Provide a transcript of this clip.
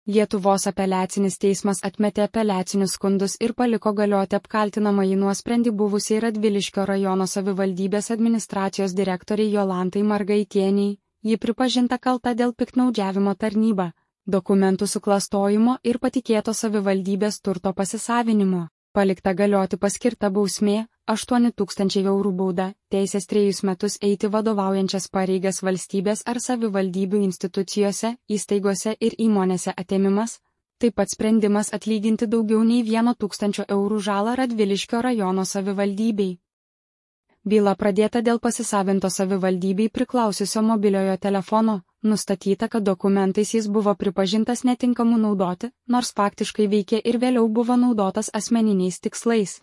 Lietuvos apeliacinis teismas atmetė apeliacinius skundus ir paliko galioti apkaltinamąjį nuosprendį buvusiai Radviliškio rajono savivaldybės administracijos direktoriai Jolantai Margaitieniai. Ji pripažinta kalta dėl piktnaudžiavimo tarnyba, dokumentų suklastojimo ir patikėto savivaldybės turto pasisavinimo. Palikta galioti paskirta bausmė, 8 000 eurų bauda, teisės 3 metus eiti vadovaujančias pareigas valstybės ar savivaldybių institucijose, įstaigose ir įmonėse atėmimas, taip pat sprendimas atlyginti daugiau nei 1 000 eurų žalą Radviliškio rajono savivaldybei. Byla pradėta dėl pasisavinto savivaldybei priklausiusio mobiliojo telefono, nustatyta, kad dokumentais jis buvo pripažintas netinkamu naudoti, nors faktiškai veikė ir vėliau buvo naudotas asmeniniais tikslais.